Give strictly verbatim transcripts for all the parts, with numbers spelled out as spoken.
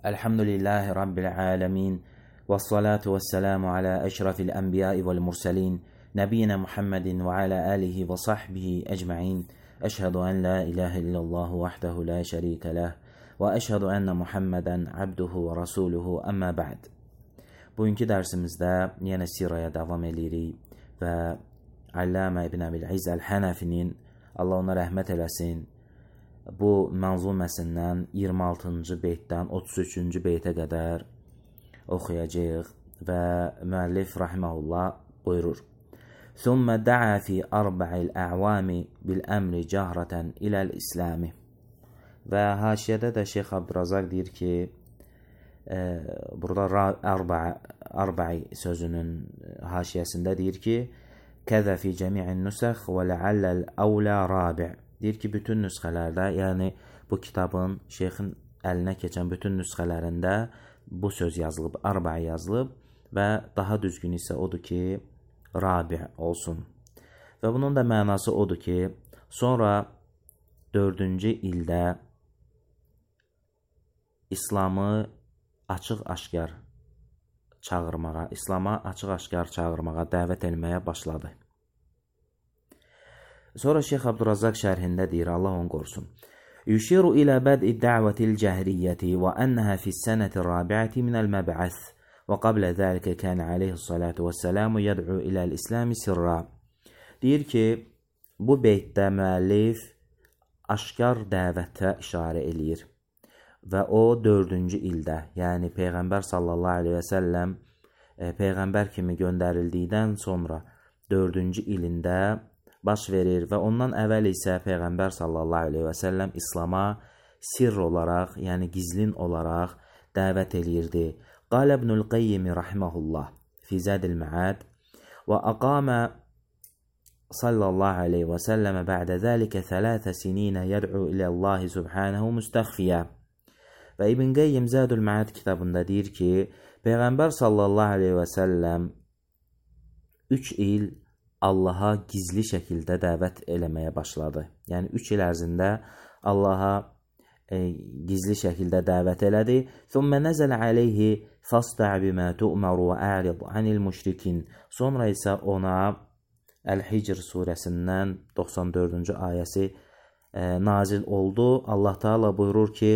Elhamdülillahi Rabbil alemin. Vessalatu vesselamu ala eşrafil enbiyai vel murselin. Nebiyyina Muhammedin ve ala alihi ve sahbihi ecma'in. Eşhedü en la ilahe illallah vahdehu la şerike leh. Ve eşhedü enne Muhammeden abduhu ve rasuluhu amma ba'd. Bugünkü dərsimizdə yenə siraya davam edirik və Allamə İbn Əbil-İz Əl-Hənəfinin, Allah ona rəhmət eləsin, bu mənzuməsindən iyirmi altıncı beytdən otuz üçüncü beytə qədər oxuyacağıq və müəllif rahimehullah buyurur. Thumma da'a fi arba'il a'wami bil amri jahratan ila'l islami. Və haşiyədə də Şeyx Abdurazaq deyir ki, e, burada arba'a arba'i sözünün haşiyəsində deyir ki, kəzə fi cəmi'in nusakh və la'allal awla rabi'. Deyir ki, bütün nüsxələrdə, yəni bu kitabın şeyxin əlinə keçən bütün nüsxələrində bu söz yazılıb, arba'i yazılıb və daha düzgün isə odur ki, rabi' olsun. Və bunun da mənası odur ki, sonra dördüncü ildə İslamı açıq-aşkar çağırmağa, İslama açıq-aşkar çağırmağa, dəvət etməyə başladı. Sonra Şeyx Abdurazaq şərhində deyir, Allah onu qorusun. Yuşiru ilə bəd'i də'vətil cəhriyyəti və ənəhə fis-sənəti rabi'əti minəl məb'əth və qablə zəlikə kənə aleyhissalatu vəssəlamu yəd'u iləl-İslami sirra. Deyir ki, bu beytdə müəllif aşkar dəvətə işarə eləyir və o dördüncü ildə, yəni Peyğəmbər sallallahu aleyhi və səlləm e, Peyğəmbər kimi göndərildikdən sonra dördüncü ilində baş verir və ondan əvvəl isə Peyğəmbər sallallahu aleyhi və səlləm İslama sirr olaraq, yəni gizlin olaraq dəvət eləyirdi. Qalə İbnül Qayyim rahimehullah fi Zadil Ma'ad və aqamə sallallahu aleyhi və səlləmə bə'də zəlikə thələthə sininə yəd'u iləllahi subhanəhu müstəxfiyyə. Və İbn Qayyim Zadul Ma'ad kitabında deyir ki, Peyğəmbər sallallahu aleyhi və səlləm üç il Allaha gizli şəkildə dəvət eləməyə başladı. Yəni üç il ərzində Allaha e, gizli şəkildə dəvət elədi. Thumma nazala alayhi fasta' bima tu'mar wa a'rid 'anil müşrikin. Sonra isə ona Əl-Hicr surəsindən doxsan dördüncü ayəsi e, nazil oldu. Allah Taala buyurur ki,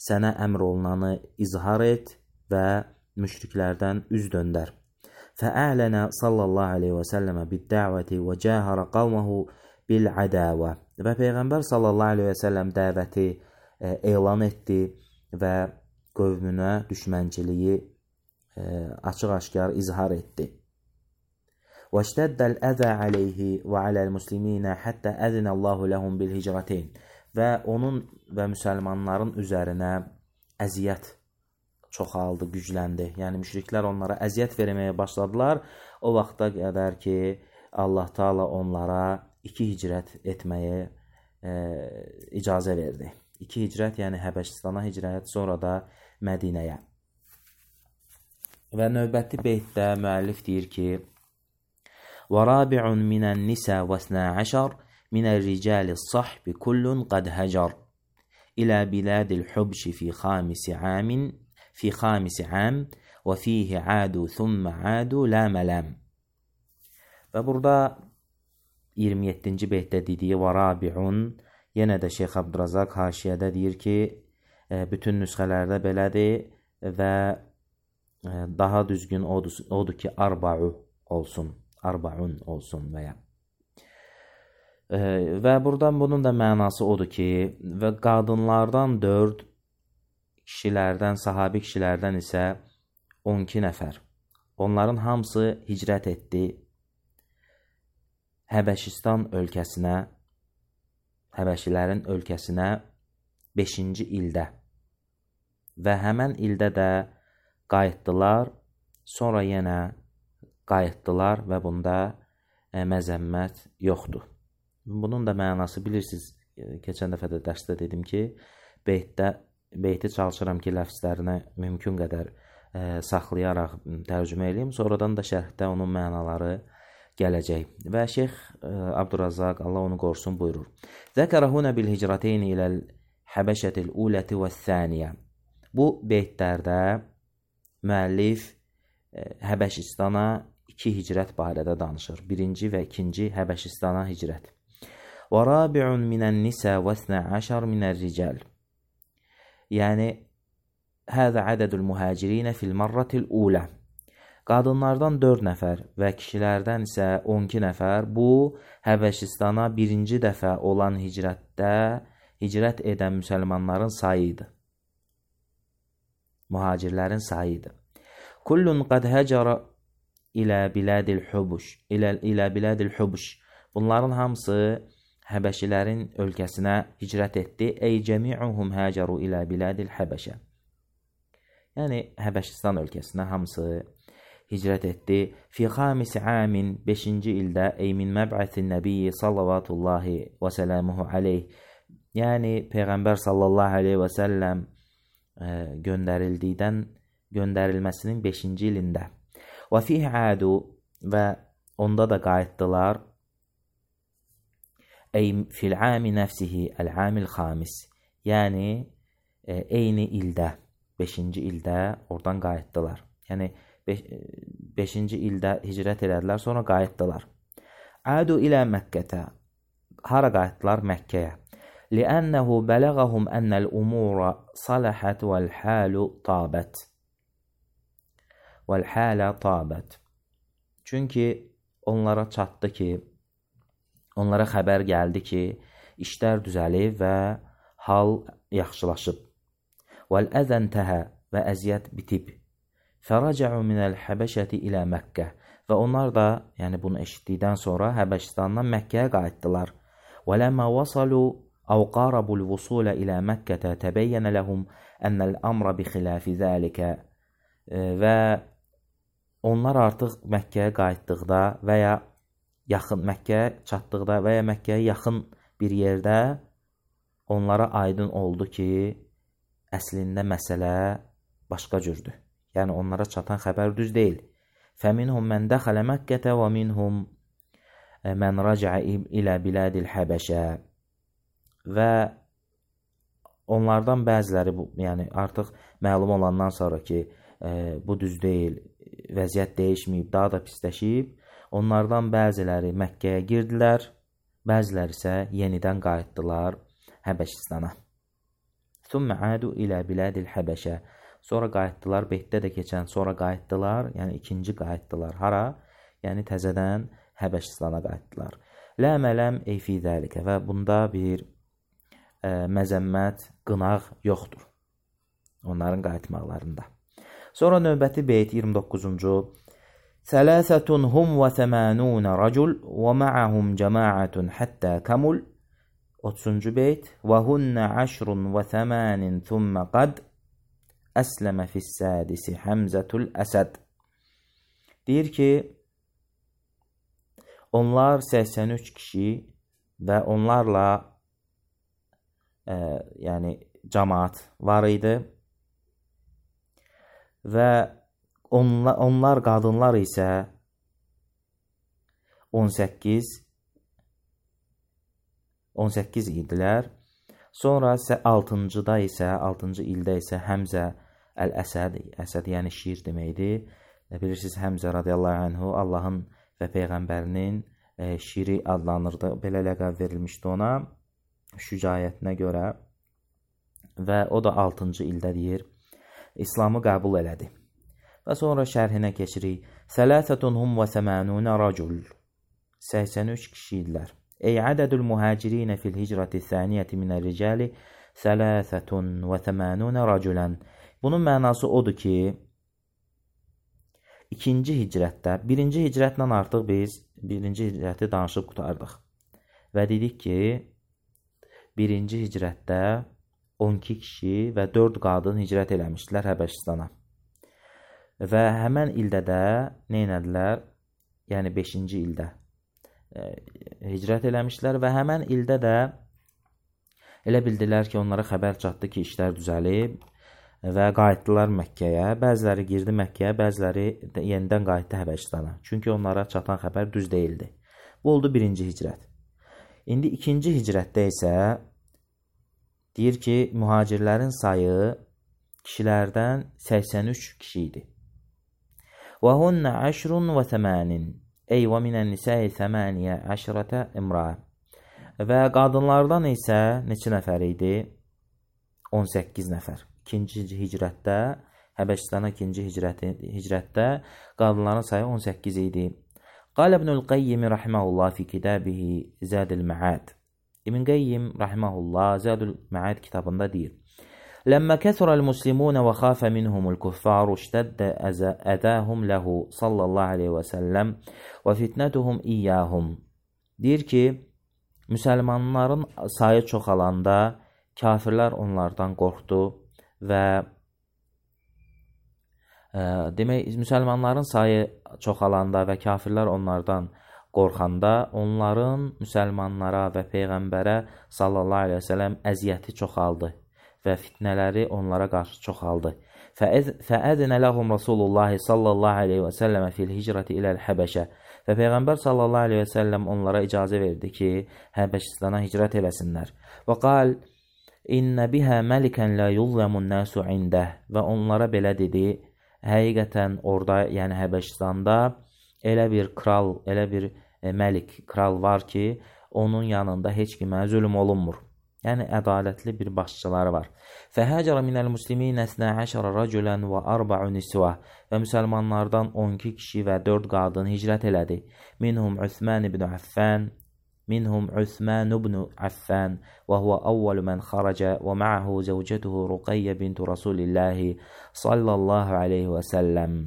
sənə əmr olunanı izhar et və müşriklərdən üz döndər. فأعلن صلى الله عليه وسلم بالدعوة وجاهر قومه بالعداوة. Və Peyğəmbər sallallahu aleyhi və səlləm dəvəti e, elan etdi və qövmünə düşmənçiliyi e, açıq-aşkar izhar etdi. وَاشْتَدَّ الْأَذَى عَلَيْهِ وَعَلَى الْمُسْلِمِينَ حَتَّى أَذِنَ اللّٰهُ لَهُمْ بِالْهِجْرَتَيْنِ. Və onun və müsəlmanların üzərinə əziyyət çoxaldı, gücləndi. Yəni müşriklər onlara əziyyət verməyə başladılar. O vaxta qədər ki, Allah Taala onlara iki hicrət etməyə e, icazə verdi. İki hicrət, yəni Həbəşistana hicrət, sonra da Mədinəyə. Və növbəti beytdə müəllif deyir ki, وَرَابِعٌ مِنَ النِّسَى وَاثْنَا عَشَرٍ مِنَ الرِّجَالِ الصَّحْبِ كُلٌّ قَدْ هَجَرٍ إِلَى بِلَادِ الْحُبْشِ فِي خَامِسِ عَامٍ fi xamisi am və fihi adu thumma adu la malam. Və burada iyirmi yeddinci beytdə dediyi və rabi'un, yenə də Şeyx Abdurazaq haşiyədə deyir ki, bütün nüsxələrdə belədir və daha düzgün odur, odur ki, arba'u olsun, arba'un olsun və ya. Və buradan bunun da mənası odur ki, və qadınlardan dörd, kişilərdən, sahabi kişilərdən isə on iki nəfər. Onların hamısı hicrət etdi Həbəşistan ölkəsinə, Həbəşilərin ölkəsinə beşinci ildə. Və həmən ildə də qayıtdılar, sonra yenə qayıtdılar və bunda e, məzəmmət yoxdur. Bunun da mənası bilirsiniz, keçən dəfə də dərsdə dedim ki, beytdə beyti çalışıram ki, ləfzlərinə mümkün qədər e, saxlayaraq tərcümə edeyim. Sonradan da şərhdə onun mənaları gələcək. Və Şeyx e, Abdurazaq, Allah onu qorusun, buyurur. Zəkərə hunə bil hicrateyni iləl həbəşətil uləti və thəniyə. Bu beytlərdə müəllif Həbəşistana iki hicrət barədə danışır. Birinci və ikinci Həbəşistana hicrət. Və rabi'un minən-nisə və isna əşər minər-rical. Yəni, həzə ədədül mühəcirinə fil-marratil ulə. Qadınlardan dörd nəfər və kişilərdən isə on iki nəfər bu Həbəşistana birinci dəfə olan hicrətdə hicrət edən müsəlmanların sayıdır. Mühacirlərin sayıdır. Kullun qad həcərə ilə biladil hubuş, ilə, ilə biladil hubuş. Bunların hamısı Həbəşilərin ölkəsinə hicrət etdi. Ey cəmi'uhum həcəru ilə biladil Həbəşə. Yəni, Həbəşistan ölkəsinə hamısı hicrət etdi. Fi xamisi amin, beşinci ildə, ey min məb'ətin nəbiyyi sallavatullahi və sələmuhu aleyh. Yəni, Peyğəmbər sallallahu aleyhi və səlləm e, göndərildikdən, göndərilməsinin beşinci ilində. Və fihi adu və onda da qayıtdılar. Ey fil ami nəfsihi əl-amil xamis. Yəni, e, eyni ildə, beşinci ildə oradan qayıtdılar. Yəni, beşinci ildə hicrət elədilər, sonra qayıtdılar. Adu ilə Məkkətə. Hara qayıtdılar? Məkkəyə. Li'ənəhu bələğəhum ənəl umura saləhət vəl-həlu tabət. Vəl-hələ tabət. Çünki onlara çatdı ki, onlara xəbər gəldi ki, işlər düzəlib və hal yaxşılaşıb. Vəl-əzən təhə və əziyyət bitib. Fərəcəu minəl-Həbəşəti ilə Məkkə. Və onlar da, yəni bunu eşitdikdən sonra Həbəşistandan Məkkəyə qayıtdılar. وَلَمَا وَصَلُوا أَوْ قَارَبُوا الْوُصُولَ إِلَى مَكَّةَ تَبَيَّنَ لَهُمْ أَنَّ الْأَمْرَ بِخِلَافِ ذَلِكَ. Və onlar artıq Məkkəyə qayıtdıqda və ya yaxın Məkkəyə çatdıqda və ya Məkkəyə yaxın bir yerdə onlara aydın oldu ki, əslində məsələ başqa cürdür. Yəni onlara çatan xəbər düz deyil. فَمِنْهُمْ مَنْ دَخَلَ مَكَّةَ وَمِنْهُمْ مَنْ رَجَعَ إِلَى بِلَادِ الْحَبَشَةِ. Və onlardan bəziləri, bu, yəni artıq məlum olandan sonra ki, e, bu düz deyil, vəziyyət dəyişməyib, daha da pisləşib, onlardan bəziləri Məkkəyə girdilər, bəziləri isə yenidən qayıtdılar Həbəşistana. ثُمَّ عَادُوا إِلَى بِلَادِ الْحَبَشَةِ. Sonra qayıtdılar, beytdə də keçən, sonra qayıtdılar, yəni ikinci qayıtdılar. Hara? Yəni təzədən Həbəşistana qayıtdılar. Lə mələm ey fi zəlikə. Və bunda bir e, məzəmmət, qınaq yoxdur onların qayıtmaqlarında. Sonra növbəti beyt iyirmi doqquzuncu. Sələsətun hum və thəmənunə racul və ma'ahum cəmaətun həttə kəmul. otuzuncu beyt. Və hunnə əşrun və thəmənin thümmə qad əsləmə fissədisi Həmzətul Əsəd. Deyir ki, onlar səksən üç kişi və onlarla e, yəni cəmaat var idi və onlar, onlar qadınlar isə on səkkiz on səkkiz idilər. Sonra isə altıncıda isə, altıncı ildə isə Həmzə Əl-Əsəd, Əsəd yəni şir deməkdir. Bilirsiniz, Həmzə radiyallahu anhu Allahın və Peyğəmbərinin e, şiri adlanırdı. Belə ləqəb verilmişdi ona şücaətinə görə və o da altıncı ildə deyir, İslamı qəbul elədi. Və sonra şərhinə keçirik. Sələsətun hum və səmənunə racul. səksən üç kişi idilər. Ey ədədül mühəcirinə fil hicrəti thəniyyəti minər-ricali sələsətun və səmənunə raculən. Bunun mənası odur ki, ikinci hicrətdə, birinci hicrətlə artıq biz birinci hicrəti danışıb qutardıq. Və dedik ki, birinci hicrətdə on iki kişi və dörd qadın hicrət eləmişdilər Həbəşistana. Və həmən ildə də nə elədilər? Yəni beşinci ildə e, hicrət eləmişdilər və həmən ildə də elə bildilər ki, onlara xəbər çatdı ki, işlər düzəlib və qayıtdılar Məkkəyə. Bəziləri girdi Məkkəyə, bəziləri yenidən qayıtdı Həbəşistana. Çünki onlara çatan xəbər düz deyildi. Bu oldu birinci hicrət. İndi ikinci hicrətdə isə deyir ki, mühacirlərin sayı kişilərdən səksən üç kişi idi. Və hunnə əşrun və thəmənin, ey və minən nisəyi thəməniyə əşrətə imra. Və qadınlardan isə neçə nəfər idi? on səkkiz nəfər. İkinci hicrətdə, Həbəşistana ikinci hicrətdə qadınların sayı on səkkiz idi. Qal İbnül Qayyim rahimehullah fi kitabihi Zadul Ma'ad. İbn Qayyim rahimehullah Zadul Ma'ad kitabında deyir: "Lamma kasara al-muslimun və khafa minhum al-kuffar, ishtadda adahum lahu sallallahu alayhi və sallam və fitnatuhum iyyahum." Deyir ki, müsəlmanların sayı çoxalanda kafirlər onlardan qorxdu və e, demək müsəlmanların sayı çoxalanda və kafirlər onlardan qorxanda onların müsəlmanlara və peyğəmbərə sallallahu əleyhi və səlləm əziyyəti çoxaldı və fitnələri onlara qarşı çoxaldı. Fəədinə ləhum Rasulullah sallallahu əleyhi və səlləmə fil hicrəti iləl Həbəşə. Və peyğəmbər sallallahu əleyhi və səlləm onlara icazə verdi ki, Həbəşistana hicrət eləsinlər. Və qal İnnə bihə məlikən la yuzlamun nasu indah. Və onlara belə dedi, həqiqətən orada, yəni Həbəşistanda elə bir kral, elə bir e, məlik, kral var ki, onun yanında heç kimə zülm olunmur. Yəni ədalətli bir başçıları var. Fəhəcərə minəl muslimin əsnə əşərə rəculən və arba'u nisvə. Və müsəlmanlardan on iki kişi və dörd qadın hicrət elədi. Minhum Üsman ibn Affan, minhum Üsman ibn Affan və huwa awwal man xaraca və ma'ahu zawjatuhu Ruqayyə bintu Rasulillah sallallahu alayhi və səlləm.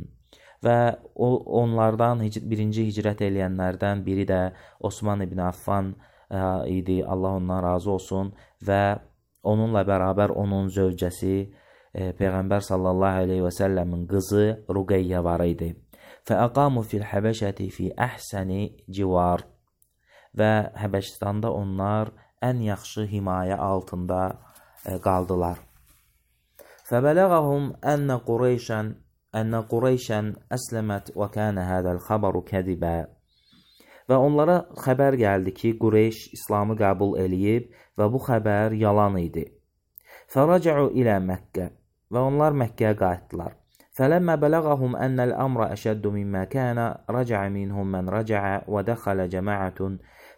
Və onlardan birinci hicrət eləyənlərdən biri də Osman ibn Affan idi, Allah ondan razı olsun, və onunla bərabər onun zövcəsi e, Peyğəmbər sallallahu aleyhi və səlləmin qızı Ruqayyə var idi. Fəəqamu fil Həbəşəti fi əhsəni civar. Və Həbəşistanda onlar ən yaxşı himayə altında e, qaldılar. Fəbələğəhum ənə Qureyşən ənə Qureyşən əsləmət və kənə hədəl xəbəru kədibə. Və onlara xəbər gəldi ki, Qureyş İslamı qəbul eləyib və bu xəbər yalan idi. Fərəcəu ilə Məkkə. Və onlar Məkkəyə qayıtdılar. Fələmmə bələğəhum ənəl əmrə əşəddu mimmə kənə rəcəə minhum mən rəcəə və dəxələ cəmaətun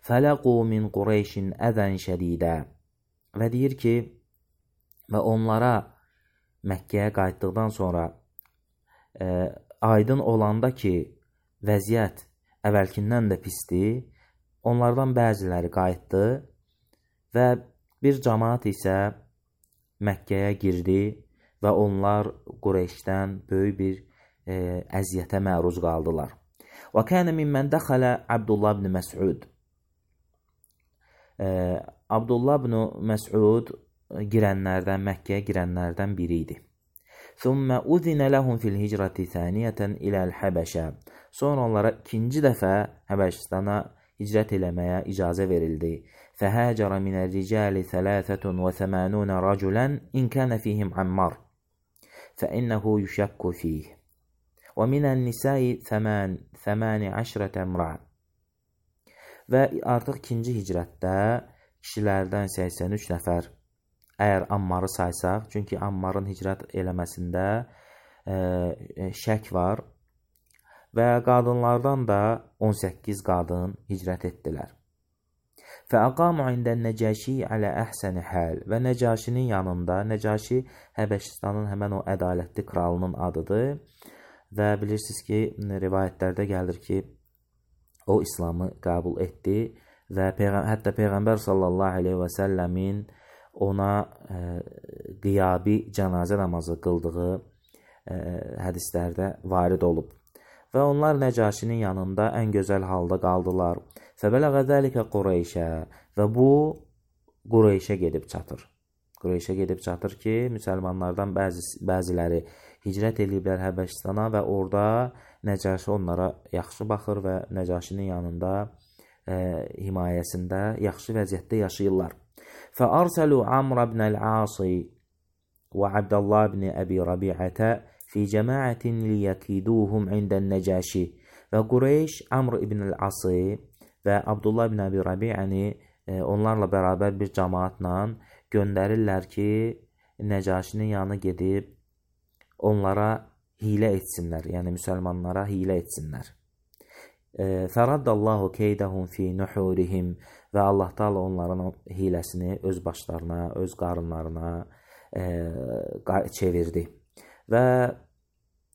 fələqu min Qureyşin əzən şədidə. Və deyir ki, və onlara Məkkəyə qayıtdıqdan sonra e, aydın olanda ki, vəziyyət əvvəlkindən də pisdir, onlardan bəziləri qayıtdı və bir cəmaat isə Məkkəyə girdi və onlar Qureyşdən böyük bir e, əziyyətə məruz qaldılar. Və kənə mimmən dəxələ Abdullah ibn Məs'ud. E, Abdullah ibn Məs'ud girənlərdən, Məkkəyə girənlərdən biri idi. ثُمَّ أُذِنَ لَهُمْ فِي الْهِجْرَةِ ثَانِيَةً إِلَى الْحَبَشَةِ. Sonra onlara ikinci dəfə Həbəşistana hicrət eləməyə icazə verildi. فَهَاجَرَ مِنَ الرِّجَالِ ثَلَاثَةٌ وَثَمَانُونَ رَجُلًا إِنْ كَانَ فِيهِمْ عَمَّارٌ فَإِنَّهُ يُشَكُّ فِيهِ وَمِنَ النِّسَاءِ ثَمَانِ عَشْرَةَ امْرَأَةً. Və artıq ikinci hicrətdə kişilərdən səksən üç nəfər, əgər Ammarı saysaq, çünki Ammarın hicrət eləməsində e, şək var və qadınlardan da on səkkiz qadın hicrət etdilər. Fəəqamu indən Nəcəşi alə əhsəni həl. Və Nəcəşinin yanında, Nəcəşi Həbəşistanın həmən o ədalətli kralının adıdır və bilirsiniz ki, rivayətlərdə gəlir ki, o İslamı qəbul etdi və Peyğəm hətta Peyğəmbər sallallahu aleyhi və səlləmin ona e, qiyabi cənazə namazı qıldığı e, hədislərdə varid olub. Və onlar Nəcəşinin yanında ən gözəl halda qaldılar. Fəbələğə zəlikə Qureyşə. Və bu Qureyşə gedib çatır. Qureyşə gedib çatır ki, müsəlmanlardan bəzi, bəziləri hicrət ediblər Həbəşistana və orada Nəcəşi onlara yaxşı baxır və Nəcəşinin yanında e, himayəsində yaxşı vəziyyətdə yaşayırlar. فأرسلوا عمرو بن العاص وعبد الله بن أبي ربيعة في جماعة ليكيدوهم عند النجاشي. Və Qureyş Amr ibn el-Asi və Abdullah ibn Əbi Rabi'əni e, onlarla bərabər bir cəmaatla göndərirlər ki, Nəcəşinin yanına gedib onlara hilə etsinlər, yəni müsəlmanlara hilə etsinlər. Fəraddallahu keydəhum fi nuhurihim və Allah Taala onların hiləsini öz başlarına, öz qarınlarına e, çevirdi. Və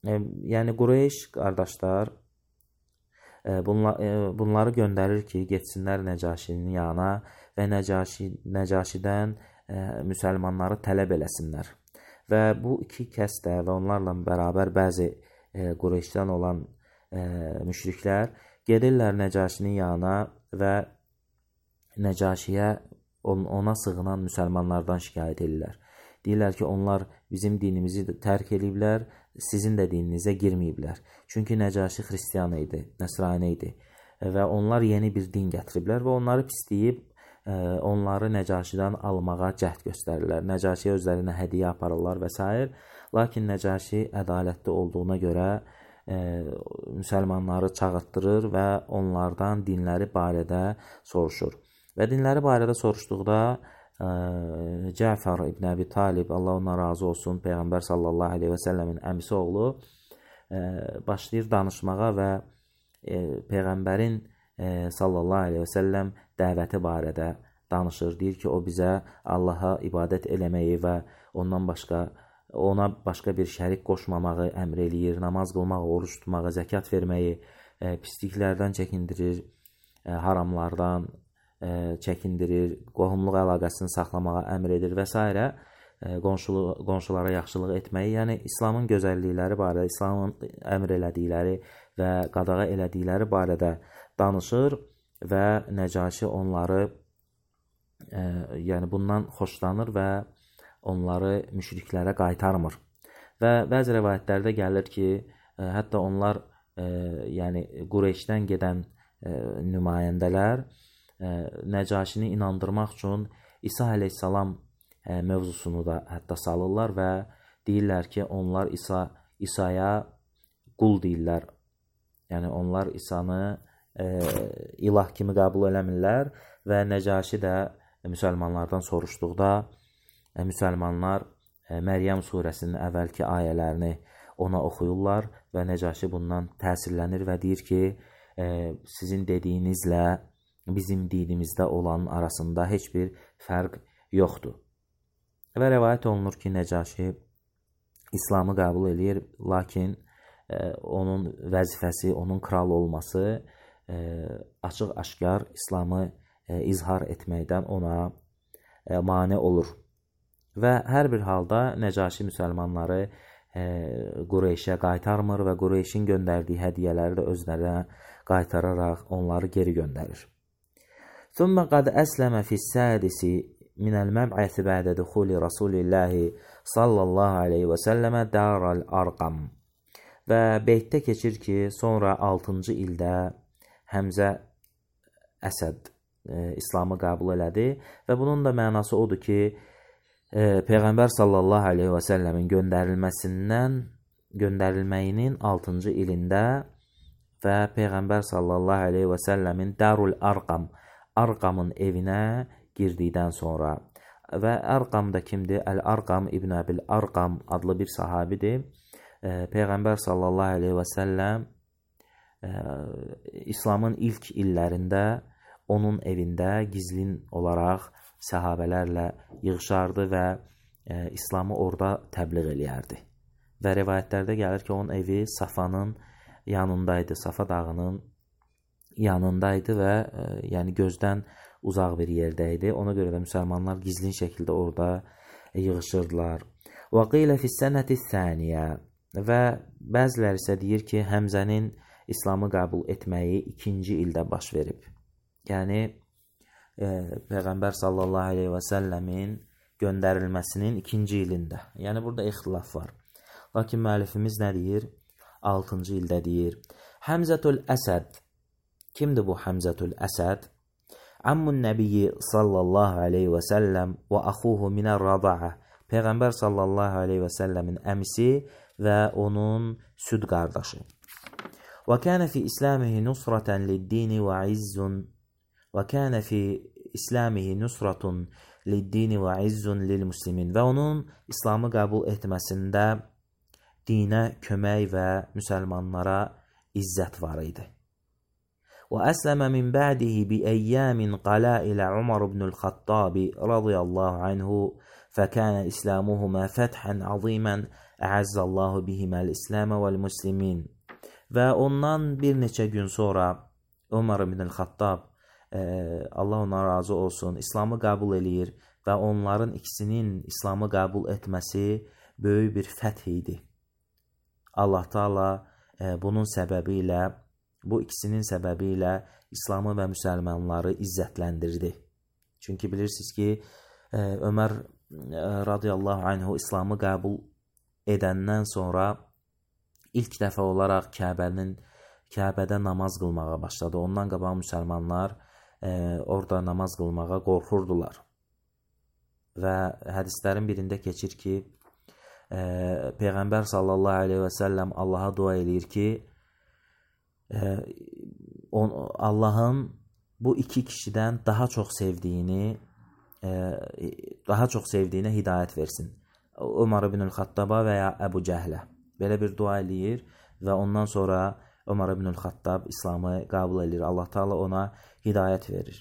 e, yəni Qureyş qardaşlar e, bunla, e, bunları göndərir ki, getsinlər Nəcaşinin yanına və Nəcaşi, Nəcaşidən e, müsəlmanları tələb eləsinlər. Və bu iki kəs də və onlarla bərabər bəzi e, Qureyşdən olan e, müşriklər gedirlər Nəcaşinin yanına və Nəcaşiyə on, ona sığınan müsəlmanlardan şikayət edirlər. Deyirlər ki, onlar bizim dinimizi tərk ediblər, sizin də dininizə girməyiblər. Çünki Nəcaşi xristiyan idi, nəsrani idi və onlar yeni bir din gətiriblər və onları pisləyib onları Nəcaşidən almağa cəhd göstərirlər. Nəcaşiyə özlərinə hədiyyə aparırlar və s. Lakin Nəcaşi ədalətli olduğuna görə e, müsəlmanları çağırtdırır və onlardan dinləri barədə soruşur. Və dinləri barədə soruşduqda e, Cəfər ibn Əbi Talib, Allah ondan razı olsun, Peyğəmbər sallallahu aleyhi və səlləmin əmisi oğlu e, başlayır danışmağa və e, Peyğəmbərin e, sallallahu aleyhi və səlləm dəvəti barədə danışır. Deyir ki, o bizə Allaha ibadət eləməyi və ondan başqa ona başqa bir şərik qoşmamağı əmr eləyir, namaz qılmağı, oruç tutmağı, zəkat verməyi, e, pisliklərdən çəkindirir, e, haramlardan e, çəkindirir, qohumluq əlaqəsini saxlamağa əmr edir və s. E, qonşulu, qonşulara yaxşılıq etməyi, yəni İslamın gözəllikləri barədə, İslamın əmr elədikləri və qadağa elədikləri barədə danışır və Nəcaşi onları e, yəni bundan xoşlanır və onları müşriklərə qaytarmır. Və bəzi rəvayətlərdə gəlir ki, e, hətta onlar e, yəni Qureyşdən gedən e, nümayəndələr e, Nəcaşini inandırmaq üçün İsa əleyhissalam e, mövzusunu da hətta salırlar və deyirlər ki, onlar İsa İsa'ya qul deyirlər. Yəni onlar İsa'nı e, ilah kimi qəbul eləmirlər və Nəcaşi də müsəlmanlardan soruşduqda müsəlmanlar Məryəm surəsinin əvvəlki ayələrini ona oxuyurlar və Nəcaşi bundan təsirlənir və deyir ki, sizin dediyinizlə bizim dinimizdə olan arasında heç bir fərq yoxdur. Və rəvayət olunur ki, Nəcaşi İslamı qəbul edir, lakin onun vəzifəsi, onun kral olması açıq-aşkar İslamı izhar etməkdən ona mane olur. Və hər bir halda Nəcaşi müsəlmanları e, Qureyşə qaytarmır və Qureyşin göndərdiyi hədiyyələri də özlərinə qaytararaq onları geri göndərir. ثُمَّ قَدْ أَسْلَمَ فِي السَّادِسِ مِنَ الْمَبْعَثِ بَعْدَ دُخُولِ رَسُولِ اللّٰهِ sallallahu aleyhi və səlləmə Darul Arqam. Və beytdə keçir ki, sonra altıncı ildə Həmzə Əsəd e, İslamı qəbul elədi və bunun da mənası odur ki, Peyğəmbər sallallahu aleyhi və səlləmin göndərilməsindən, göndərilməyinin altıncı ilində və Peyğəmbər sallallahu aleyhi və səlləmin Darul Arqam, Arqamın evinə girdikdən sonra və Arqam da kimdir? Əl-Arqam İbn Əbil Arqam adlı bir sahabidir. Peyğəmbər sallallahu aleyhi və səlləm İslamın ilk illərində onun evində gizlin olaraq səhabələrlə yığışardı və e, İslamı orada təbliğ eləyərdi. Və rivayətlərdə gəlir ki, onun evi Safanın yanındaydı, Safa dağının yanındaydı və e, yəni gözdən uzaq bir yerdəydi. Ona görə də müsəlmanlar gizlin şəkildə orada e, yığışırdılar. Və qilə fis-sənəti thaniyə və bəziləri isə deyir ki, Həmzənin İslamı qəbul etməyi ikinci ildə baş verib. Yəni E, Peyğəmbər sallallahu aleyhi və səlləmin göndərilməsinin ikinci ilində. Yəni burada ixtilaf var. Lakin müəllifimiz nə deyir? altıncı ildə deyir. Həmzətul Əsəd. Kimdir bu Həmzətul Əsəd? Ammun Nəbiyyi sallallahu aleyhi və səlləm və axuhu minər-rada'a. Peyğəmbər sallallahu aleyhi və səlləmin əmisi və onun süd qardaşı. Və kənə fi İslamihi nusratan lid-dini və izzun وَكَانَ فِي إِسْلَامِهِ نُصْرَةٌ لِلدِّينِ وَعِزٌّ لِلْمُسْلِمِينَ. Və onun İslamı qəbul etməsində dinə kömək və müsəlmanlara izzət var idi. وأسلم من بعده بأيام قلائل عمر بن الخطاب رضي الله عنه فكان إسلامهما فتحا عظيما أعز الله بهما الإسلام والمسلمين. Və ondan bir neçə gün sonra Ömər ibn Xattab, e, Allah ona razı olsun, İslamı qəbul eləyir və onların ikisinin İslamı qəbul etməsi böyük bir fəth idi. Allah Taala e, bunun səbəbi ilə, bu ikisinin səbəbi ilə İslamı və müsəlmanları izzətləndirdi. Çünki bilirsiniz ki, e, Ömər e, radiyallahu anhu İslamı qəbul edəndən sonra ilk dəfə olaraq Kəbənin Kəbədə namaz qılmağa başladı. Ondan qabaq müsəlmanlar e, orada namaz qılmağa qorxurdular. Və hədislərin birində keçir ki, e, Peyğəmbər sallallahu aleyhi və səlləm Allaha dua eləyir ki, e, on, Allahın bu iki kişidən daha çox sevdiyini, e, daha çox sevdiyinə hidayət versin. Ömər ibn Xattaba və ya Əbu Cəhlə. Belə bir dua eləyir və ondan sonra Ömər ibn Xattab İslamı qəbul edir. Allah Taala ona hidayət verir.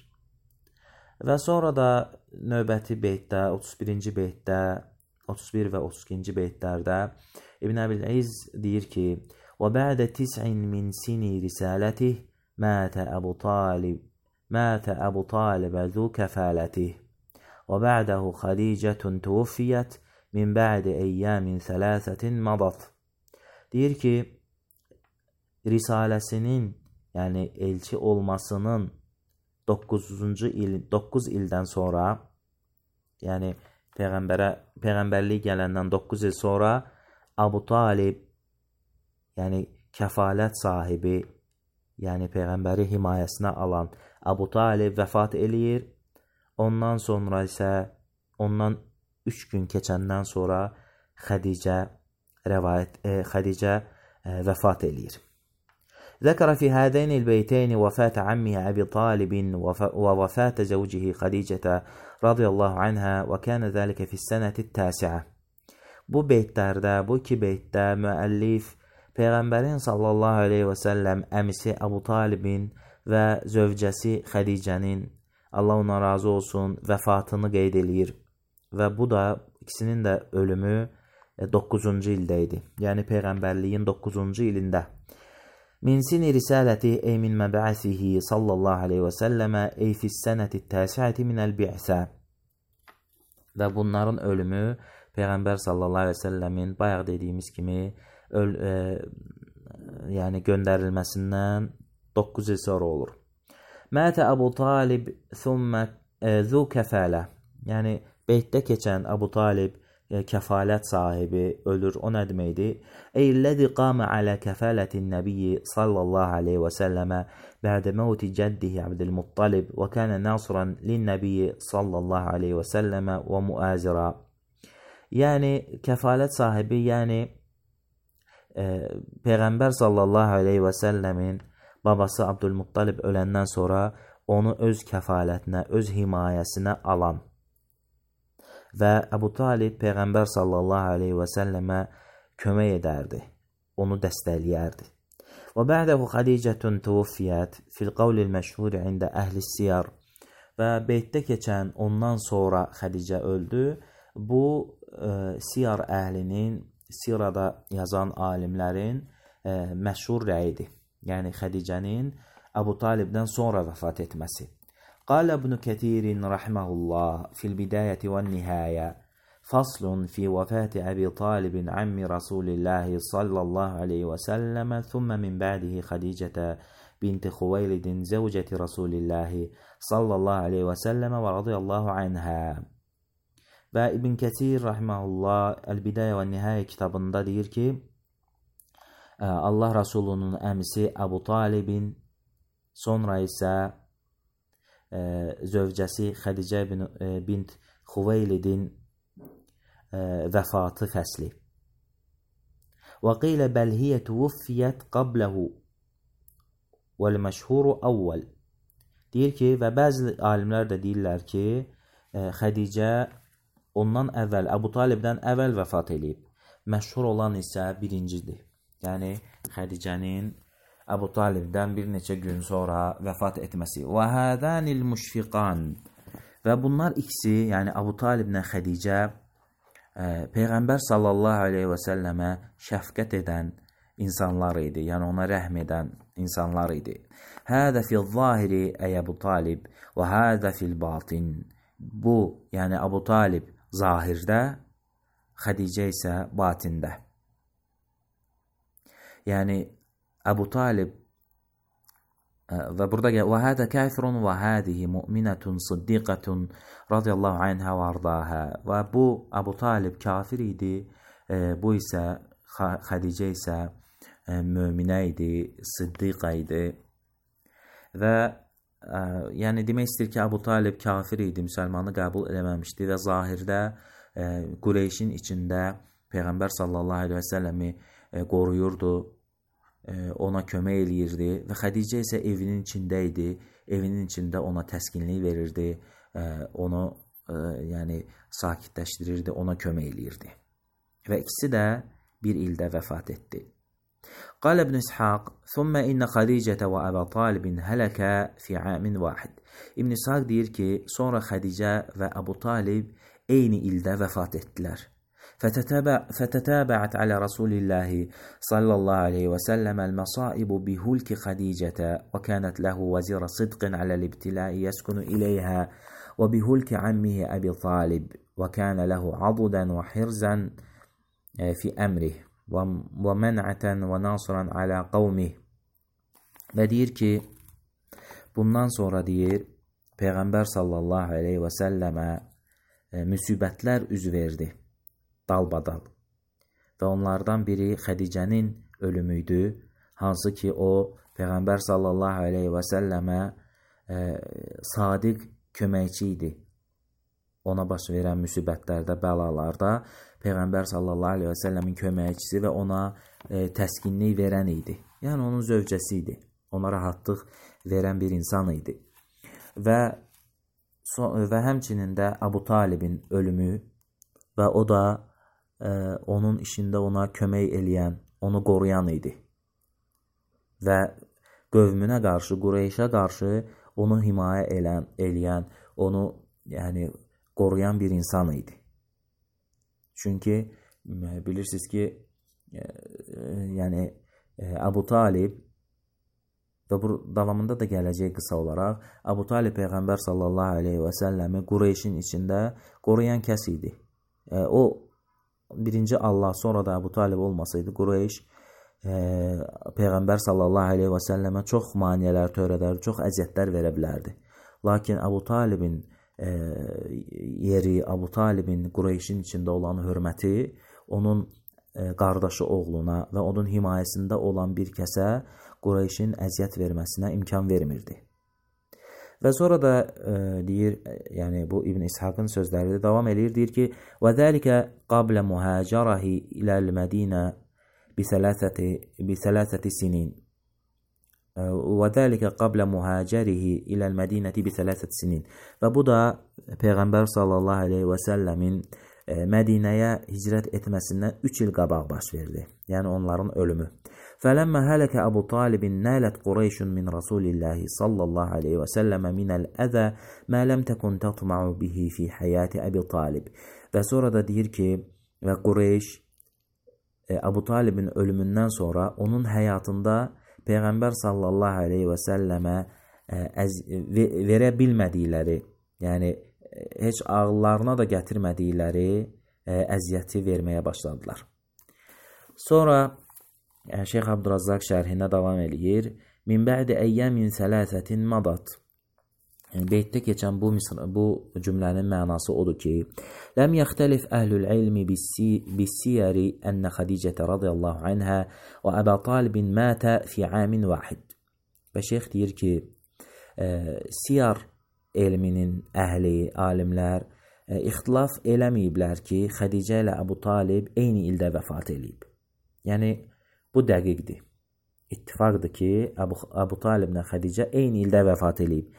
Və sonra da növbəti beytdə, otuz birinci beytdə, otuz bir və otuz ikinci beytlərdə İbn Əbil İz deyir ki: "Və bə'də tis'in min sini risalatihi mətə Əbu Talib, mətə Əbu Talib zu kəfalatihi. Və bə'dəhu Xədicətun tuvuffiyət min bə'di eyyamin sələsətin madat." Deyir ki, risaləsinin, yəni elçi olmasının doqquzuncu il, doqquz ildən sonra, yəni Peyğəmbərə, Peyğəmbərlik gələndən doqquz il sonra Əbu Talib, yəni kəfalət sahibi, yəni Peyğəmbəri himayəsinə alan Əbu Talib vəfat eləyir. Ondan sonra isə, ondan üç gün keçəndən sonra Xədicə rəvayət, e, Xədicə e, vəfat eləyir. ذكر في هذين البيتين وفاة عمها أبي طالب ووفاة زوجه خديجة رضي الله عنها وكان ذلك في السنة التاسعة. Bu beytlərdə, bu iki beytdə müəllif Peyğəmbərin sallallahu aleyhi və səlləm əmisi Əbu Talibin və zövcəsi Xədicənin, Allah ona razı olsun, vəfatını qeyd eləyir. Və bu da ikisinin də ölümü doqquzuncu ildə idi. Yəni Peyğəmbərliyin doqquzuncu ilində. Min sini risaləti ey min məbə'sihi sallallahu aleyhi və səlləmə ey fissənəti təsiəti minəl bi'sə. Və bunların ölümü Peyğəmbər sallallahu aleyhi və səlləmin bayaq dediyimiz kimi öl, e, yəni göndərilməsindən doqquz il sonra olur. Mətə Əbu Talib thumma e, zu kəfələ. Yəni beytdə keçən Əbu Talib kəfalət sahibi ölür. O nə deməkdir? Eyləzi qamə alə kəfələtin nəbiyyi sallallahu aleyhi və səlləmə bə'də məvti cəddihi Abdülmuttalib və kənə nasıran linnəbiyyi sallallahu aleyhi və səlləmə və muazira. Yəni kəfalət sahibi, yəni e, Peyğəmbər sallallahu aleyhi və səlləmin babası Abdülmuttalib öləndən sonra onu öz kəfalətinə, öz himayəsinə alan və Əbu Talib Peyğəmbər sallallahu aleyhi və səlləmə kömək edərdi, onu dəstəkləyərdi. Və bə'dəhu Xədicətun tuvuffiyət fil qavlil məşhur ində əhli siyar. Və beytdə keçən ondan sonra Xədicə öldü. Bu e, siyar əhlinin, sirada yazan alimlərin e, məşhur rəyidir. Yəni Xədicənin Əbu Talibdən sonra vəfat etməsi. قال ابن كثير رحمه الله في البداية والنهاية فصل في وفاة أبي طالب عم رسول الله صلى الله عليه وسلم ثم من بعده خديجة بنت خويلد زوجة رسول الله صلى الله عليه وسلم ورضي الله عنها. Və İbn Kəsir rahimehullah El-Bidayə və Nihayə kitabında deyir ki, Allah Rasulunun əmisi Əbu Talibin, sonra isə zövcəsi Xədicə bint Xuveylidin vəfatı fəsli. Və qilə bəl hiyə tuvuffiyət qabləhu vəl-məşhuru əvvəl. Deyir ki, və bəzi alimlər də deyirlər ki, Xədicə ondan əvvəl, Əbu Talibdən əvvəl vəfat edib. məşhur olan isə birincidir. Yəni Xədicənin Əbu Talibdən bir neçə gün sonra vəfat etməsi. Və hədənil müşfiqan. Və bunlar ikisi, yəni Əbu Taliblə Xədicə e, Peyğəmbər sallallahu aleyhi və səlləmə şəfqət edən insanlar idi. Yəni ona rəhm edən insanlar idi. Hədə fil zahiri ey Əbu Talib və hədə fil batin. Bu, yəni Əbu Talib zahirdə, Xədicə isə batində. Yəni Əbu Talib və burada və hədə kafirun və hədihi müminətun siddiqətun radiyallahu anhə və ardahə. Və bu Əbu Talib kafir idi, e, bu isə Xədicə isə e, möminə idi, siddiqə idi. Və e, yəni demək istəyir ki, Əbu Talib kafir idi, müsəlmanı qəbul eləməmişdi və zahirdə e, Qureyşin içində Peyğəmbər sallallahu aleyhi və səlləmi e, qoruyurdu, ona kömək eləyirdi və Xədicə isə evinin içində idi, evinin içində ona təskinlik verirdi, onu yəni sakitləşdirirdi, ona kömək eləyirdi. Və ikisi də bir ildə vəfat etdi. Qal İbn İshaq, "Thumma inna Xədicətə və Əbu Talibin hələkə fi amin vahid." İbn İshaq deyir ki, sonra Xədicə və Əbu Talib eyni ildə vəfat etdilər. فتتابعت على رسول الله صلى الله عليه وسلم المصائب بهلك خديجة وكانت له وزير صدق على الابتلاء يسكن إليها وبهلك عمه أبي طالب وكان له عضدا وحرزا في أمره ومنعة وناصرا على قومه. Və deyir ki, bundan sonra deyir, Peyğəmbər sallallahu aleyhi və səlləmə müsibətlər üz verdi. Dalbadal. Və onlardan biri Xədicənin ölümüydü, hansı ki o Peyğəmbər sallallahu aleyhi və səlləmə e, sadiq köməkçi idi. Ona baş verən müsibətlərdə, bəlalarda Peyğəmbər sallallahu aleyhi və səlləmin köməkçisi və ona e, təskinlik verən idi. Yəni onun zövcəsi idi. Ona rahatlıq verən bir insan idi. Və, so, və həmçinin də Əbu Talibin ölümü və o da onun işində ona kömək eləyən, onu qoruyan idi. Və qövmünə qarşı, Qureyşə qarşı onu himayə elən, eləyən, onu yəni qoruyan bir insan idi. Çünki bilirsiniz ki, e, yəni Əbu Talib və bu davamında da gələcək qısa olaraq, Əbu Talib Peyğəmbər sallallahu aleyhi və səlləmi Qureyşin içində qoruyan kəs idi. E, o birinci Allah, sonra da Əbu Talib olmasaydı, Qureyş e, Peyğəmbər sallallahu aleyhi və səlləmə çox maniyələr törədər, çox əziyyətlər verə bilərdi. Lakin Əbu Talibin e, yeri, Əbu Talibin Qureyşin içində olan hörməti onun e, qardaşı oğluna və onun himayəsində olan bir kəsə Qureyşin əziyyət verməsinə imkan vermirdi. Və sonra da e, deyir, yəni bu İbn İshaqın sözləri davam edir, deyir ki, və zəlikə qablə mühacərəhi iləl-Mədinə bi-thələthəti sinin. Və zəlikə qablə mühacərihi iləl-Mədinəti bi-thələthəti sinin. Və bu da Peyğəmbər sallallahu aleyhi və səlləmin e, Mədinəyə hicrət etməsindən üç il qabaq baş verdi. Yəni onların ölümü. فلما هلك أبو طالب نالت قريش من رسول الله صلى الله عليه وسلم من الأذى ما لم تكن تطمع به في حياة أبي طالب. Və sonra da deyir ki, və Qureyş Əbu Talibin ölümündən sonra onun həyatında Peyğəmbər sallallahu aleyhi və səlləmə verə bilmədikləri, yəni heç ağıllarına da gətirmədikləri əziyyəti verməyə başladılar. Sonra Şeyx Abdurazzaq şərhinə davam eləyir. Min bə'di əyyəmin sələsətin madat. Yəni, beytdə keçən bu, bu cümlənin mənası odur ki, ləm yəxtəlif əhlül ilmi bis-siyəri ənə Xədicətə radiyallahu anhə və Əbə Talibin mətə fi amin vahid. Və şeyx deyir ki, e, siyar elminin əhli, alimlər e, ixtilaf eləməyiblər ki, Xədicə ilə Əbu Talib eyni ildə vəfat eləyib. Yəni, bu dəqiqdir. İttifaqdır ki, Əbu, Əbu Talib ilə Xədicə eyni ildə vəfat eləyib.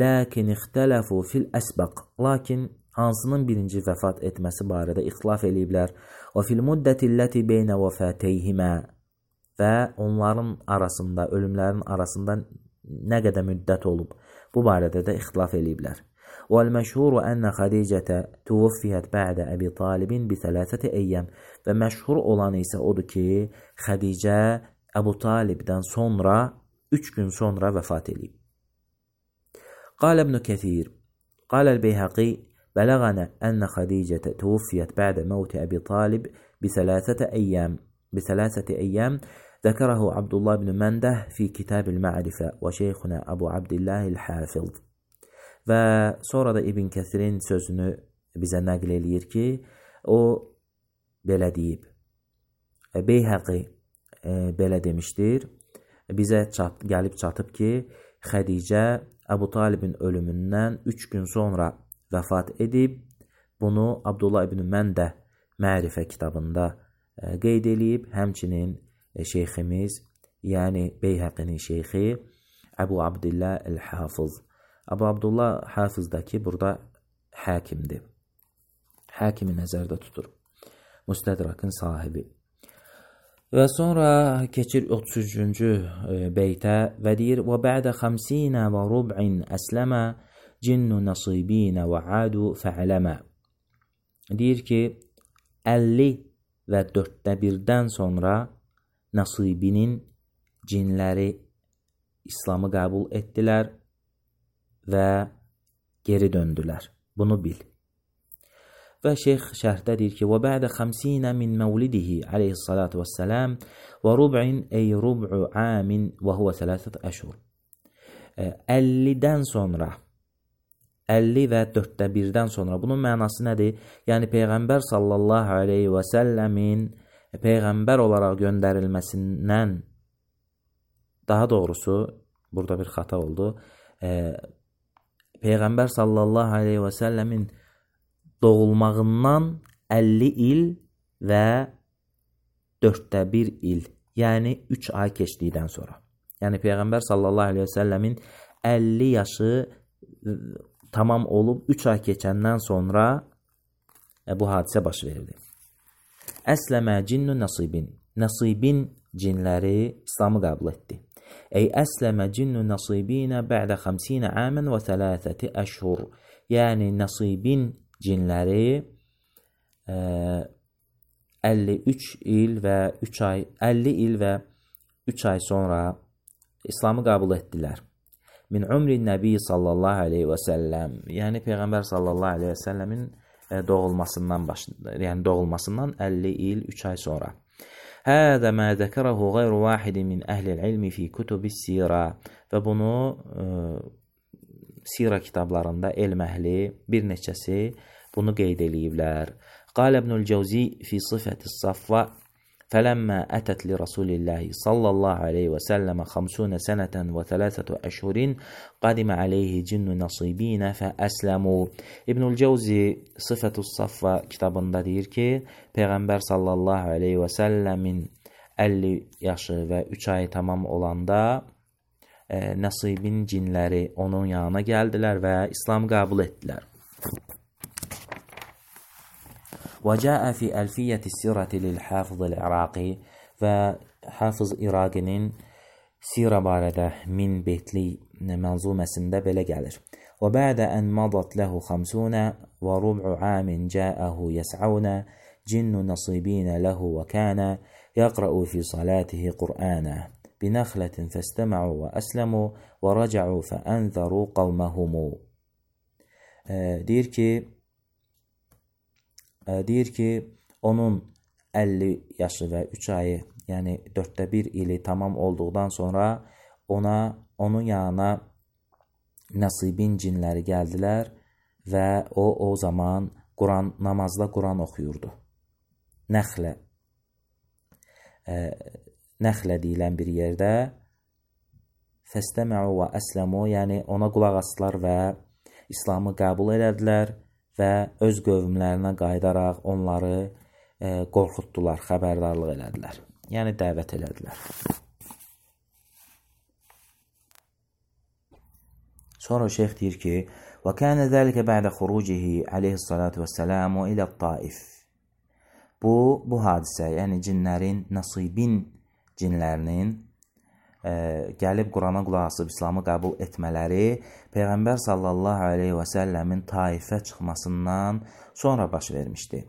Lakin ixtələfu fil əsbəq. Lakin hansının birinci vəfat etməsi barədə ixtilaf eləyiblər. Və fil muddətilləti beynə vəfateyhimə və onların arasında, ölümlərin arasında nə qədər müddət olub, bu barədə də ixtilaf eləyiblər. وَالْمَشْهُورُ أَنَّ خَدِيجَةَ تُوَفِّيَتْ بَعْدَ أَبِي طَالِبٍ بِثَلَاثَةِ أَيَّامٍ və məşhur olanı isə odur ki, Xədicə Əbu Talibdən sonra üç gün sonra vəfat eləyib. قال ابن كثير قال البيهقي بلغنا أن خديجة توفيت بعد موت أبي طالب بثلاثة أيام بثلاثة أيام ذكره عبد الله بن منده في كتاب المعرفة وشيخنا أبو عبد الله الحافظ. Və sonra da İbn Kəsirin sözünü bizə nəql eləyir ki, o belə deyib. Beyhəqi e, belə demişdir. Bizə çat, gəlib çatıb ki, Xədicə Əbu Talibin ölümündən üç gün sonra vəfat edib. Bunu Abdullah ibn Məndə Mərifə kitabında e, qeyd eləyib. Həmçinin e, şeyximiz, yəni Beyhəqinin şeyxi Əbu Abdillah el-Hafız. Əbu Abdullah Hafızdakı burada həkimdir. Həkimi nəzərdə tutur. Müstədrakın sahibi. Və sonra keçir otuz üçüncü beytə və deyir: "Və bə'də xəmsinə və rub'in əsləmə cinnu nasibinə və adu fa'ləmə." Deyir ki, əlli və dörddə birdən sonra Nasibinin cinləri İslamı qəbul etdilər və geri döndülər. Bunu bil. Və şeyx şərhdə deyir ki, və bə'də xəmsinə min məvlidihi aleyhissalatu vəssələm və rub'in ey rub'u amin və huvə sələsət əşhur. əllidən sonra, əlli və dörddə birdən sonra, bunun mənası nədir? Yəni Peyğəmbər sallallahu aleyhi və səlləmin Peyğəmbər olaraq göndərilməsindən, daha doğrusu, burada bir xata oldu, e, Peyğəmbər sallallahu aleyhi və səlləmin doğulmağından əlli il və dörddə bir il, yəni üç ay keçdikdən sonra. Yəni Peyğəmbər sallallahu aleyhi və səlləmin əlli yaşı tamam olub üç ay keçəndən sonra e, bu hadisə baş verdi. Əsləmə cinnu nasibin. Nasibin cinləri İslamı qəbul etdi. Ey əsləmə cinnu nasibinə bə'də xəmsinə əmən və thələthəti əşhur. Yəni nasibin cinləri e, əlli üç il və üç ay, əlli il və üç ay sonra İslamı qəbul etdilər. Min umrin nəbi sallallahu aleyhi və səlləm. Yəni Peyğəmbər sallallahu aleyhi və səlləmin doğulmasından başında, yəni doğulmasından əlli il, üç ay sonra. Hədə mə zəkərəhu qeyru vahidi min əhlil ilmi fi kutubis sirə. Və bunu e, sirə kitablarında elm əhli bir neçəsi bunu qeyd eləyiblər. Qal İbnül Cəvzi fi sifətis safva فلما أتت لرسول الله صلى الله عليه وسلم خمسون سنة وثلاثة أشهر قدم عليه جن نصيبين فأسلموا. İbnül Cəvzi Sıfətus Saffa kitabında deyir ki, Peyğəmbər sallallahu aleyhi və səlləmin əlli yaşı və üç ay tamam olanda e, Nasibin cinləri onun yanına gəldilər və İslam qəbul etdilər. وجاء في ألفية السيرة للحافظ العراقي və Hafız İraqinin sirə barədə min beytli mənzuməsində belə gəlir. وبعد أن مضت له خمسون وربع عام جاءه يسعون جن نصيبين له وكان يقرأ في صلاته قرآنا بنخلة فاستمعوا وأسلموا ورجعوا فأنذروا قومهم. Deyir ki, deyir ki, onun əlli yaşı və üç ayı, yəni dörddə bir ili tamam olduqdan sonra ona, onun yanına Nasibin cinləri gəldilər və o, o zaman Quran, namazda Quran oxuyurdu. Nəxlə, e, nəxlə deyilən bir yerdə fəstəməu və əsləmu, yəni ona qulaq asdılar və İslamı qəbul elədilər və öz qövmlərinə qayıdaraq onları e, qorxutdular, xəbərdarlıq elədilər. Yəni dəvət elədilər. Sonra şeyx deyir ki, Və kənə zəlikə bə'də xurucihi aleyhissalatu vəssəlamu ilə Taif. Bu, bu hadisə, yəni cinlərin, Nasibin cinlərinin e, gəlib Qurana qulaq asıb İslamı qəbul etmələri Peyğəmbər sallallahu aleyhi və səlləmin Taifə çıxmasından sonra baş vermişdi.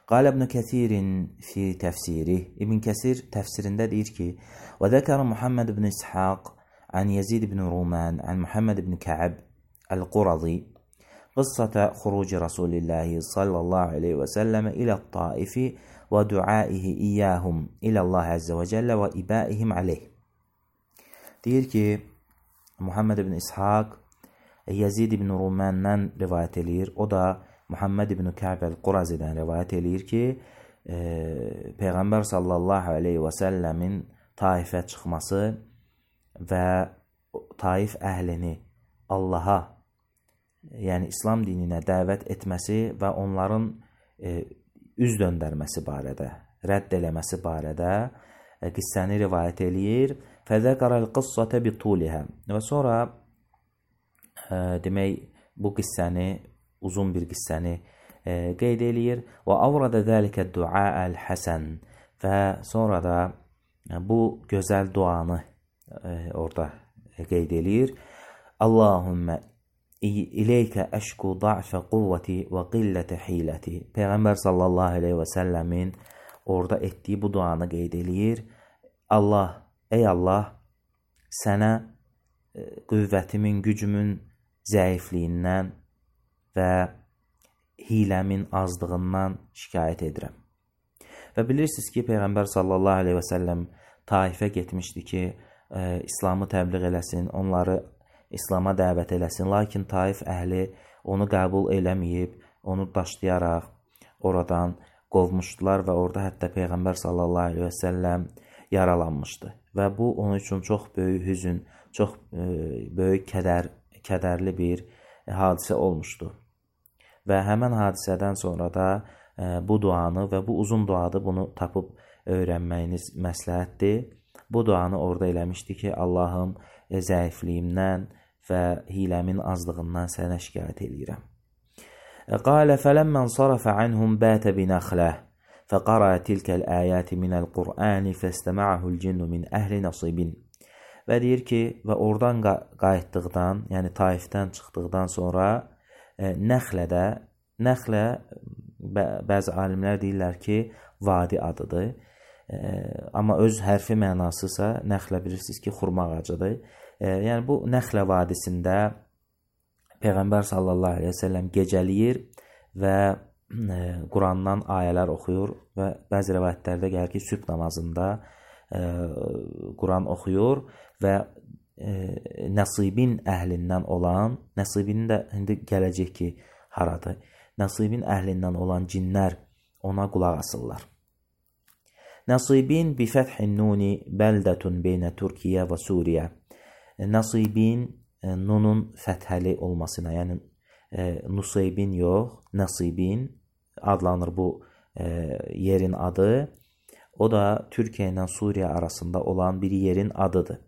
Qal İbn Kəsirin fi təfsiri. İbn Kəsir təfsirində deyir ki, və zəkərə Muhammed ibn İshaq an Yezid ibn Ruman an Muhammed ibn Kə'b el-Qurazi qıssata xuruci Rasulillahi sallallahu aleyhi və səlləmə ilə Taifi və duaihi iyyahum ilə Allah Azze və Cəllə və ibaihim aleyh. Deyir ki, Muhammed ibn İshaq Yezid ibn Ruman'dan rivayət eləyir. O da Muhammed ibn Kə'b el-Qurazi'dən rivayət eləyir ki, e, Peyğəmbər sallallahu aleyhi və səlləmin Taifə çıxması və Taif əhlini Allaha, yəni İslam dininə dəvət etməsi və onların e, üz döndərməsi barədə, rədd eləməsi barədə e, qissəni rivayət eləyir. Fəzəkərəl qıssətə bitulihə. Və sonra e, demək, bu qissəni, uzun bir qissəni e, qeyd eləyir. Və avradə zəlikə duaəl həsən. Və sonra da e, bu gözəl duanı e, orada qeyd eləyir. Allahümmə İleykə əşku da'fə quvvəti və qillətə hiləti. Peyğəmbər sallallahu aleyhi və səlləmin orada etdiyi bu duanı qeyd eləyir. Allah, ey Allah, sənə qüvvətimin, gücümün zəifliyindən və hiləmin azlığından şikayət edirəm. Və bilirsiniz ki, Peyğəmbər sallallahu aleyhi və səlləm Taifə getmişdi ki, e, İslamı təbliğ eləsin, onları İslama dəvət eləsin. Lakin Taif əhli onu qəbul eləməyib, onu daşlayaraq oradan qovmuşdular və orada hətta Peyğəmbər sallallahu aleyhi və səlləm yaralanmışdı. Və bu onun üçün çox böyük hüzün, çox e, böyük kədər, kədərli bir hadisə olmuşdu. Və həmən hadisədən sonra da e, bu duanı və bu uzun duadı bunu tapıb öyrənməyiniz məsləhətdir. Bu duanı orada eləmişdi ki, Allahım e, zəifliyimdən və hiləmin azlığından sənə şikayət eləyirəm. Qalə fələmmən sarafə anhum bətə binəxləh fəqara tilkəl əyəti minəl Qur'ani fəstəmə'əhul cinnu min əhli nasibin. Və deyir ki, və oradan qayıtdıqdan, yəni Taifdən çıxdıqdan sonra e, Nəxlədə, Nəxlə bə bəzi alimlər deyirlər ki, vadi adıdır. E, amma öz hərfi mənasısa Nəxlə bilirsiniz ki, xurma ağacıdır. E, yəni bu Nəxlə vadisində Peyğəmbər sallallahu aleyhi və səlləm gecəliyir və e, Qurandan ayələr oxuyur və bəzi rəvayətlərdə gəlir ki, sübh namazında e, Quran oxuyur və e, Nasibin əhlindən olan, Nasibin də indi gələcək ki, haradır? Nasibin əhlindən olan cinlər ona qulaq asırlar. Nasibin bi fəthin nuni bəldətun beynə Türkiyə və Suriyə. Nasibin e, nunun fəthəli olmasına, yəni e, Nusaybin yox, Nasibin adlanır bu e, yerin adı. O da Türkiyə ilə Suriyə arasında olan bir yerin adıdır.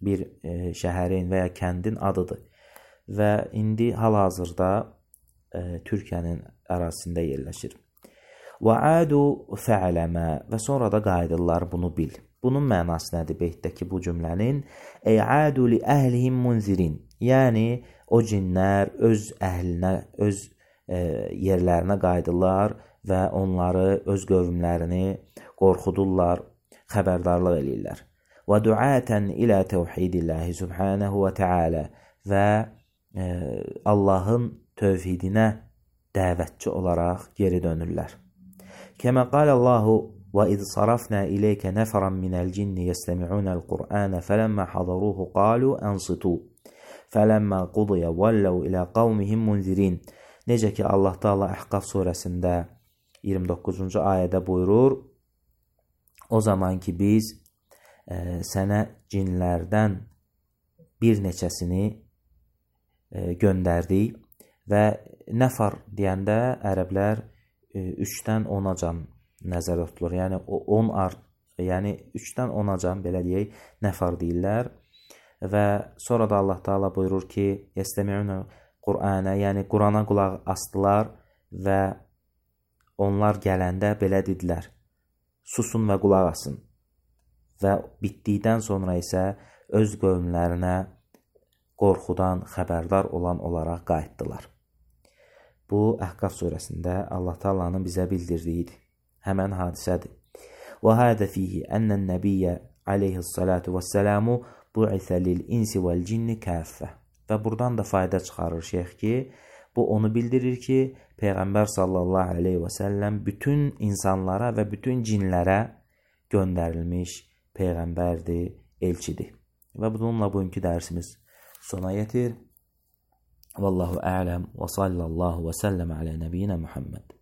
Bir e, şəhərin və ya kəndin adıdır. Və indi hal-hazırda e, Türkiyənin ərazisində yerləşir. Və adu fə'ləmə və sonra da qayıdırlar, bunu bil. Bunun mənası nədir beytdəki bu cümlənin? Ə'adu li əhlihim munzirin. Yəni, o cinlər öz əhlinə, öz e, yerlərinə qayıdırlar və onları, öz qövmlərini qorxudurlar, xəbərdarlıq eləyirlər. Və duətən ilə təvhidilləhi subhanəhu və teala və e, Allahın tövhidinə dəvətçi olaraq geri dönürlər. Kəmə qalallahu və iz sarafna ileykə nəfəran minəl cinni yəstəmi'unəl Qur'anə fələmmə hadaruhu qalu ansitu fələmmə qudiyə vəlləv ilə qavmihim munzirin. Necə ki, Allah Teala Əhqaf surəsində iyirmi doqquzuncu ayədə buyurur, o zaman ki biz e, sənə cinlərdən bir neçəsini e, göndərdik və nəfar deyəndə ərəblər üçdən onacan nəzərdə tutulur. Yəni on art, yəni üçdən onacan belə deyək, nəfər deyirlər. Və sonra da Allah Taala buyurur ki, "Yestemi'un Qur'ana, yəni Qurana qulaq asdılar və onlar gələndə belə dedilər: susun və qulaq asın. Və bitdikdən sonra isə öz qövmlərinə qorxudan xəbərdar olan olaraq qayıtdılar. Bu Əhqaf surəsində Allah Taala'nın bizə bildirdiyidir. Həmən hadisədir. Və hədə fihi ənən nəbiyyə aleyhissalatu vəssəlamu bu'isə lil-insi vəl-cinni kəffə. Və buradan da fayda çıxarır şeyx ki, bu onu bildirir ki, Peyğəmbər sallallahu aleyhi və səlləm bütün insanlara və bütün cinlərə göndərilmiş Peyğəmbərdir, elçidir. Və bununla bugünkü dərsimiz sona yetir. Vallahu a'lam və sallallahu və səlləm alə nəbiyyina Muhammed.